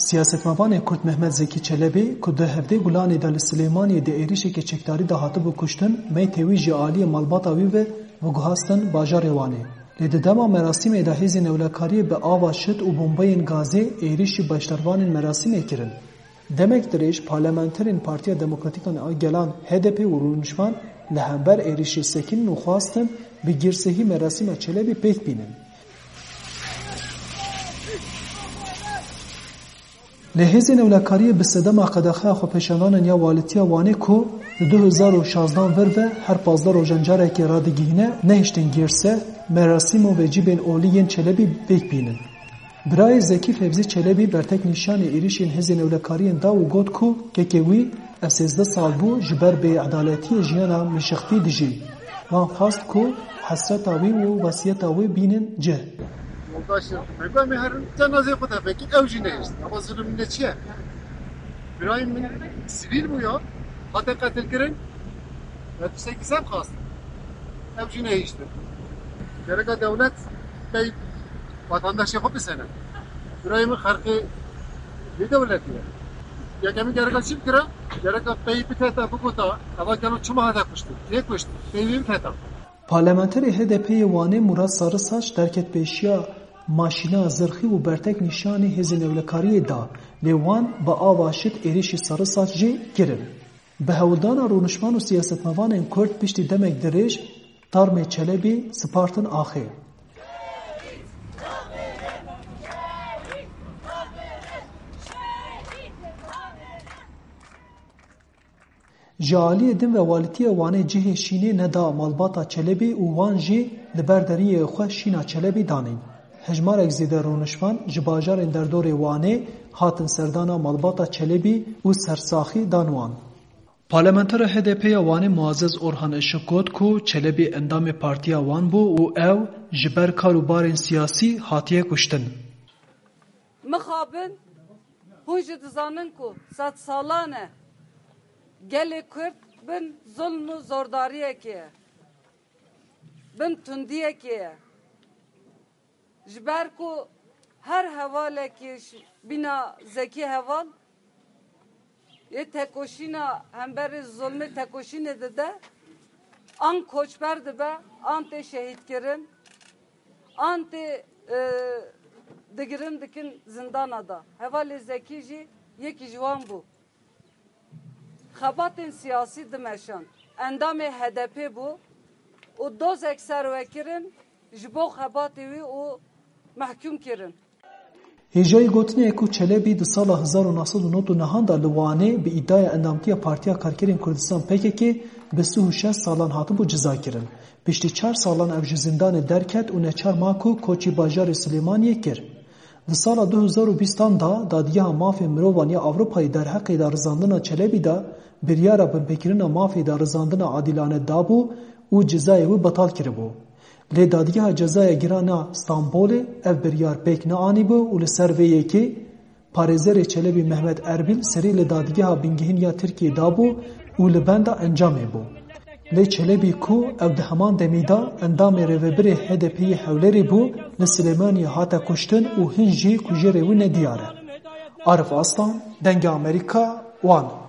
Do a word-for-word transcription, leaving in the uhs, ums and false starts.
Siyasetmevanê Kurd Mehmet Zekî Çelebî, ku di hevdê Gulanê de li Silêmaniyê di êrişeke çekdarî de hatibû kuştin, meytê wî ji aliyê malbata wî ve veguhastin bajarê Wanê. Lê di dema merasîmê de hêzên ewlekariyê bi ava şit û bombeyên gazê êrîş ji beşdarvanên merasîmê kirin. Demek dirêj parlamenterên Partiya Demokratîk a Gelan, H D P, û rûniştvan li hember êrîşê sekinin û xwastin bi girsehî merasîma Çelebî pêk bînin. Lê hêzên ewlekariyê bi sedema qedexeya xwepêşandanên ya Walîtiya Wanê ku li du hezar û şazdan vir ve her pazdeh rojan carekê radigihîne, nehiştin girseh merasîm û vecîbên olî yên Çelebî pêk bînin. Birayê Zekî Fevzî Çelebî bertek nîşanî êrîşên hêzên ewlekariyên da û got ku kekê wî ev sêzdeh sal bû ji ber bêedaletiyê jiyana mişextî dijî. Wan xwest ku hesreta wî û wesiyeta wî bînin cih. Yoldaşım, me got, em ê herin cenazeyê xwe tevekî, ew jî nehişt. Ama zulüm ne çi ye? Birayê min sivîl bû ya, hate qetilkirin. Ve tiştekî ser xwest. Ew jî nehiştin. Gereka dewlet pey vatandaşê xwe bisene. Birayê min xerqê vê dewletê ye. Yekemîn gereka çi bikira? Gereka pey biteta, bigota, eva gelo çima hate kuştin? Kê kuşt? Pey wî bifeta. Parlamenterê H D P'ê yê Wanê Murat Sarısaç derket pêşiya maşîna zirxî û bertek nîşanî hêzên ewlekariyê da, lê wan bi ava şit êrîşî Sarısaç jî kirin. Bi hewldana rûniştvan û siyasetmevanên Kurd piştî demek dirêj tarmê Çelebî spartin axê. Ji aliyê din ve Walîtiya Wanê cihê şînê neda malbata Çelebî û wan jî li ber deriyê xwe şîna Çelebî danîn. Hejmarek zêde rûniştvan ji bajarên derdorê Wanê hatin serdana malbata Çelebî û sersaxî dan wan. Parlamentera H D P'ê ya Wanê Muazzez Orhan Işık got ku Çelebî endamê partiya wan bû û ew ji ber kar û barên siyasî hatiye kuştin. Mixabin, hûn jî dizanin ku sedsalan e gelê Kurd bin zulm û zordariyekê ye, bin tundiyekê ye. Ji ber ku her hevalekî ji bîna Zekî Heval yê tekoşîna hemberî zulmê tekoşînê dide, an koçber dibe, an tê şehîdkirin, an tê, e, digirin dikin zindana da. Hevalê Zekî jî yekî ji wan bû. Xebatên siyasî dimeşand. Endamê H D P bû û dozek serwe kirin ji bo xebatê wî û mehkûm kirin. Hêjayî gotinê ye ku Çelebî di sala hezar û neh sed û nod û nehan de li Wanê bi îdiaya endamtiya Partiya Karkerên Kurdistan P K K bi sih û şeş salan hatibû cizakirin. Piştî çar salan ev ji zîndanê derket û neçar ma ku koçî bajarê Silêmaniyê kir. Di sala du hezar û bîstan de Dadgeha Mafê Mirovan ya Ewropayê derheqê darizandina Çelebî de biryara binpêkirina mafê darizandina adîlane dabû û cezayê wî betal kiribû. Lê Dadgeha Cezaya Giran a Stenbolê ev biryar pêk neanîbû û li ser vê yekê parêzerê Çelebî Mehmet Erbîl serî li Dadgeha Bingehîn ya Tirkiyê dabû û li benda encamê bû. Lê Çelebî ku ew di heman demî de endamê rêvebirê H D P'ê yê Hewlêrê bû, li Silêmaniyê hate kuştin û hin jî kujerê wî nediyar e. Arif Aslan, Dengê Amerîka, Wan.